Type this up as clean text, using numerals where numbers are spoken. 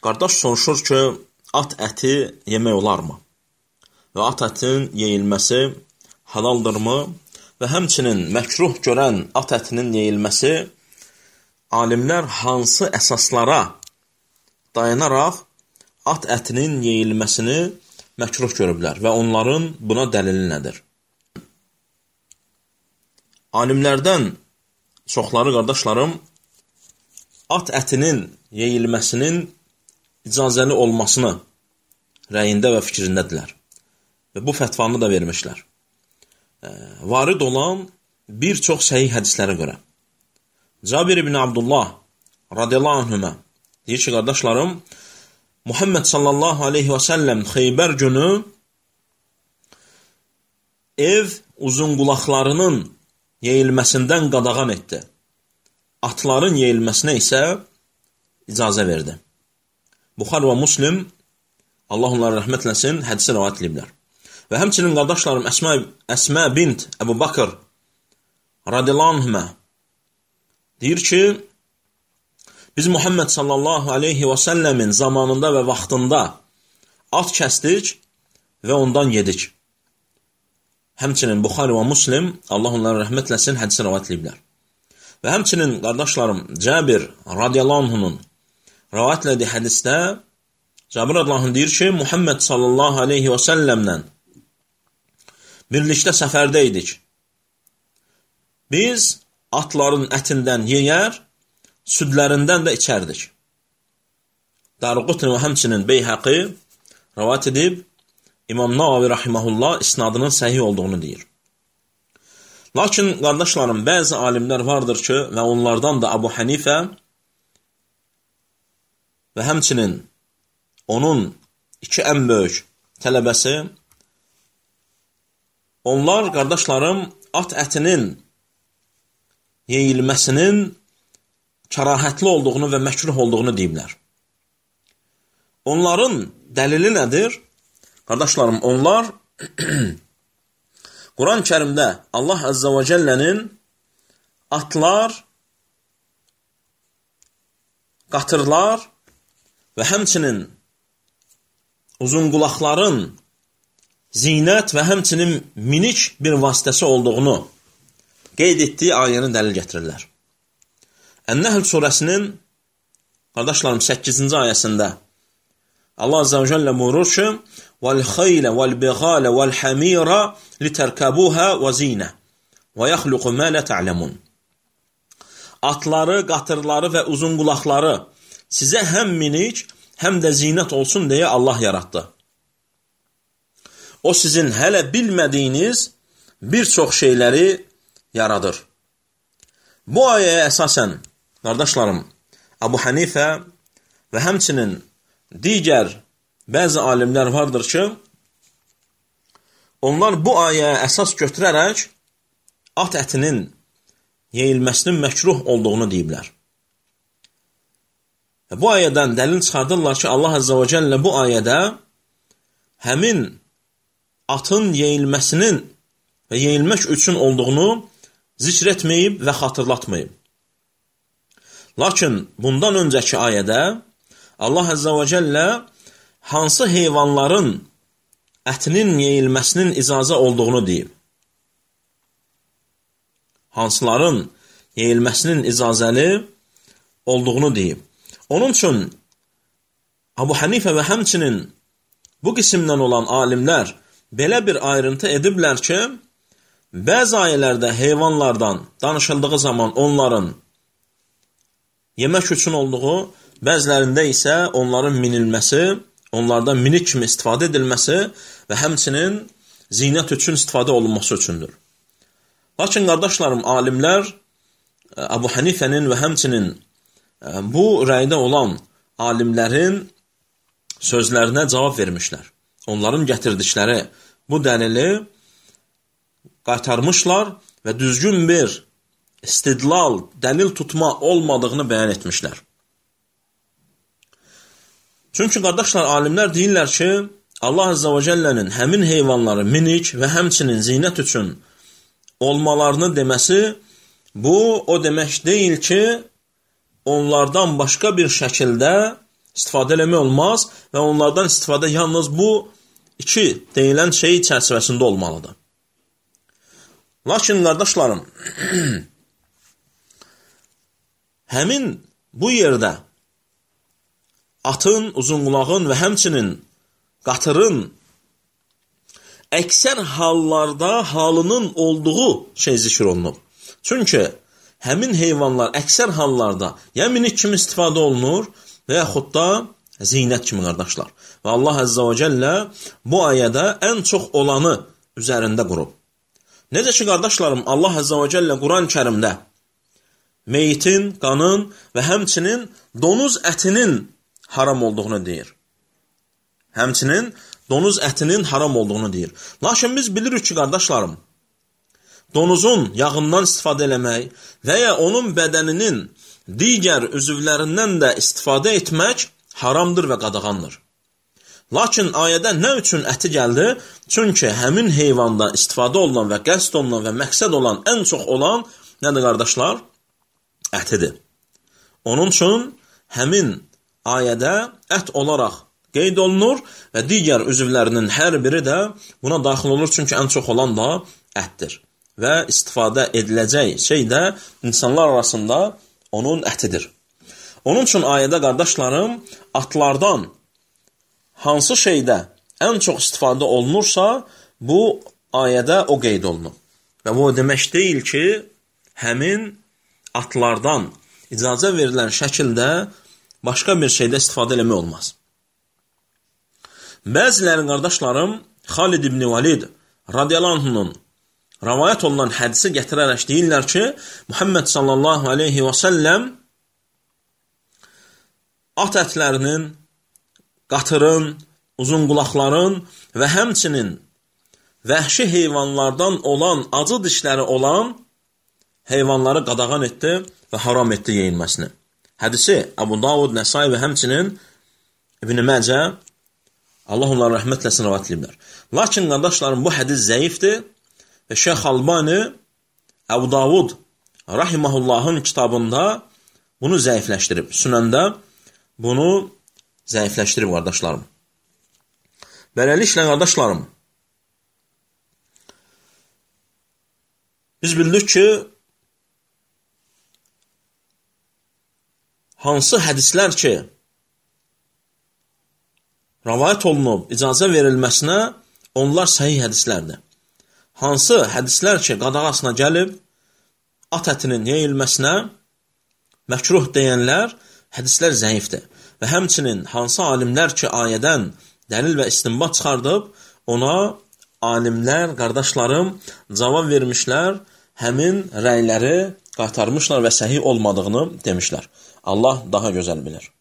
Qardaş soruşur ki, at əti yemək olarmı? Və at ətin yeyilməsi halaldırmı? Və həmçinin məkruh görən at ətinin yeyilməsi alimlər hansı əsaslara dayanaraq at ətinin yeyilməsini məkruh görüblər və onların buna dəlili nədir? Alimlərdən çoxları, qardaşlarım, at ətinin yeyilməsinin icazəli olmasını rəyində və fikrindədirlər. Və bu fətvanı da vermişlər. Varid olan bir çox səhih hədislərə görə. Cabir ibn Abdullah radiyallahu anhümə deyir ki, qardaşlarım, Muhammed sallallahu aleyhi və səlləm Xeybər günü ev uzunqulaqlarının yeyilməsindən qadağan etdi. Atların yeyilməsinə isə icazə verdi. Buxar və Muslim, Allah onları rəhmət eləsin, hədisi rivayət ediblər. Və həmçinin qardaşlarım Əsmə bint Əbu Bakır radiyallahu anhümə deyir ki, biz Muhammed sallallahu aleyhi və səlləmin zamanında və vaxtında at kəsdik və ondan yedik. Həmçinin Buxar və Muslim, Allah onları rəhmət eləsin, hədisi rivayət ediblər. Və həmçinin qardaşlarım Cabir radiyallahu anhunun rivayət elədiyi hədisdə Cabir radiyallahu anh deyir ki, Muhammed sallallahu aleyhi və səlləmlə birlikdə səfərdə idik. Biz atların ətindən yeyər, südlərindən də içərdik. Daraqutni və həmçinin Beyhəqi rivayət edib, İmam Navavi rahimehullah isnadının səhih olduğunu deyir. Lakin, qardaşlarım, bəzi alimlər vardır ki, və onlardan da Əbu Hənifə və həmçinin onun iki ən böyük tələbəsi, onlar, qardaşlarım, at ətinin yeyilməsinin kərahətli olduğunu və məkruh olduğunu deyiblər. Onların dəlili nədir? Qardaşlarım, onlar Quran-ı Kərimdə Allah Əzzə və Cəllənin atlar, qatırlar və həmçinin uzunqulaqların zinət və həmçinin minik bir vasitəsi olduğunu qeyd etdiyi ayəni dəlil gətirirlər. Ən-Nəhl surəsinin, qardaşlarım, 8-ci ayəsində Allah Azze və Cəllə buyurur ki, وَالْخَيْلَ وَالْبِغَالَ وَالْحَمِيرَ لِتَرْكَبُوهَا وَزِينَ وَيَخْلُقُ مَا لَا تَعْلَمُونَ Atları, qatırları və uzunqulaqları sizə həm minik, həm də zinət olsun deyə Allah yaratdı. O sizin hələ bilmədiyiniz bir çox şeyləri yaradır. Bu ayəyə əsasən, qardaşlarım, Əbu Hənifə və həmçinin digər bəzi alimlər vardır ki, onlar bu ayəyə əsas götürərək at ətinin yeyilməsinin məkruh olduğunu deyiblər. Bu ayədən dəlil çıxardırlar ki, Allah Əzzə və Cəllə bu ayədə həmin atın yeyilməsinin və yeyilmək üçün olduğunu zikr etməyib və xatırlatmayıb. Lakin bundan öncəki ayədə Allah Əzzə və Cəllə hansı heyvanların ətinin yeyilməsinin icazə olduğunu deyib. Hansıların yeyilməsinin icazəli olduğunu deyib. Onun üçün Əbu Hənifə və həmçinin bu qismdən olan alimlər belə bir ayrıntı ediblər ki, bəzi ayələrdə heyvanlardan danışıldığı zaman onların yemək üçün olduğu, bəzilərində isə onların minilməsi, onlardan minik kimi istifadə edilməsi və həmçinin zinət üçün istifadə olunması üçündür. Lakin, qardaşlarım, alimlər Əbu Hənifənin və həmçinin bu rəydə olan alimlərin sözlərinə cavab vermişlər. Onların gətirdikləri bu dəlili qaytarmışlar və düzgün bir istidlal, dəlil tutma olmadığını bəyan etmişlər. Çünki, qardaşlar, alimlər deyirlər ki, Allah Əzzə və Cəllənin həmin heyvanları minik və həmçinin zinət üçün olmalarını deməsi, bu o demək deyil ki, onlardan başqa bir şəkildə istifadə eləmək olmaz və onlardan istifadə yalnız bu iki deyilən şey çərçivəsində olmalıdır. Lakin, qardaşlarım, həmin bu yerdə atın, uzunqulağın və həmçinin qatırın əksər hallarda halının olduğu şey zikr olunub. Çünki həmin heyvanlar əksər hallarda ya minik kimi istifadə olunur və yaxud da zinət kimi, qardaşlar. Və Allah Əzzə və Cəllə bu ayədə ən çox olanı üzərində qurub. Necə ki, qardaşlarım, Allah Əzzə və Cəllə Quran-ı Kərimdə meyitin, qanın və həmçinin donuz ətinin haram olduğunu deyir. Həmçinin donuz ətinin haram olduğunu deyir. Lakin biz bilirik ki, qardaşlarım, donuzun yağından istifadə eləmək və ya onun bədəninin digər üzvlərindən də istifadə etmək haramdır və qadağandır. Lakin ayədə nə üçün əti gəldi? Çünki həmin heyvanda istifadə olunan və qəsd olunan və məqsəd olan, ən çox olan nədir, qardaşlar? Ətidir. Onun üçün həmin ayədə ət olaraq qeyd olunur və digər üzvlərinin hər biri də buna daxil olur, çünki ən çox olan da ətdir. Və istifadə ediləcək şey də insanlar arasında onun ətidir. Onun üçün ayədə, qardaşlarım, atlardan hansı şeydə ən çox istifadə olunursa, bu ayədə o qeyd olunur. Və bu demək deyil ki, həmin atlardan icazə verilən şəkildə başqa bir şeydə istifadə eləmək olmaz. Bəziləri, qardaşlarım, Xalid ibn Valid radiyallahu anhunun rəvayət olunan hədisi gətirərək deyirlər ki, Muhammed sallallahu aleyhi və səlləm at ətlərinin, qatırın, uzun qulaqların və həmçinin vəhşi heyvanlardan olan, acı dişləri olan heyvanları qadağan etdi və haram etdi yeyilməsini. Hədisi Əbu Davud, Nəsai və həmçinin İbn Məcə, Allah onları rəhmətləsin, rəvat ediblər. Lakin, qardaşlarım, bu hədis zəifdir və Şeyx Albani Əbu Davud rahimahullahın kitabında bunu zəifləşdirib. Sünəndə bunu zəifləşdirib, qardaşlarım. Beləliklə, qardaşlarım, biz bildik ki, hansı hədislər ki, rəvayət olunub, icazə verilməsinə, onlar səhih hədislərdir. Hansı hədislər ki, qadağasına gəlib, at ətinin yeyilməsinə məkruh deyənlər, hədislər zəifdir. Və həmçinin hansı alimlər ki, ayədən dəlil və istinbat çıxardıb, ona alimlər, qardaşlarım, cavab vermişlər, həmin rəyləri qaytarmışlar və səhih olmadığını demişlər. Allah daha gözəl bilir.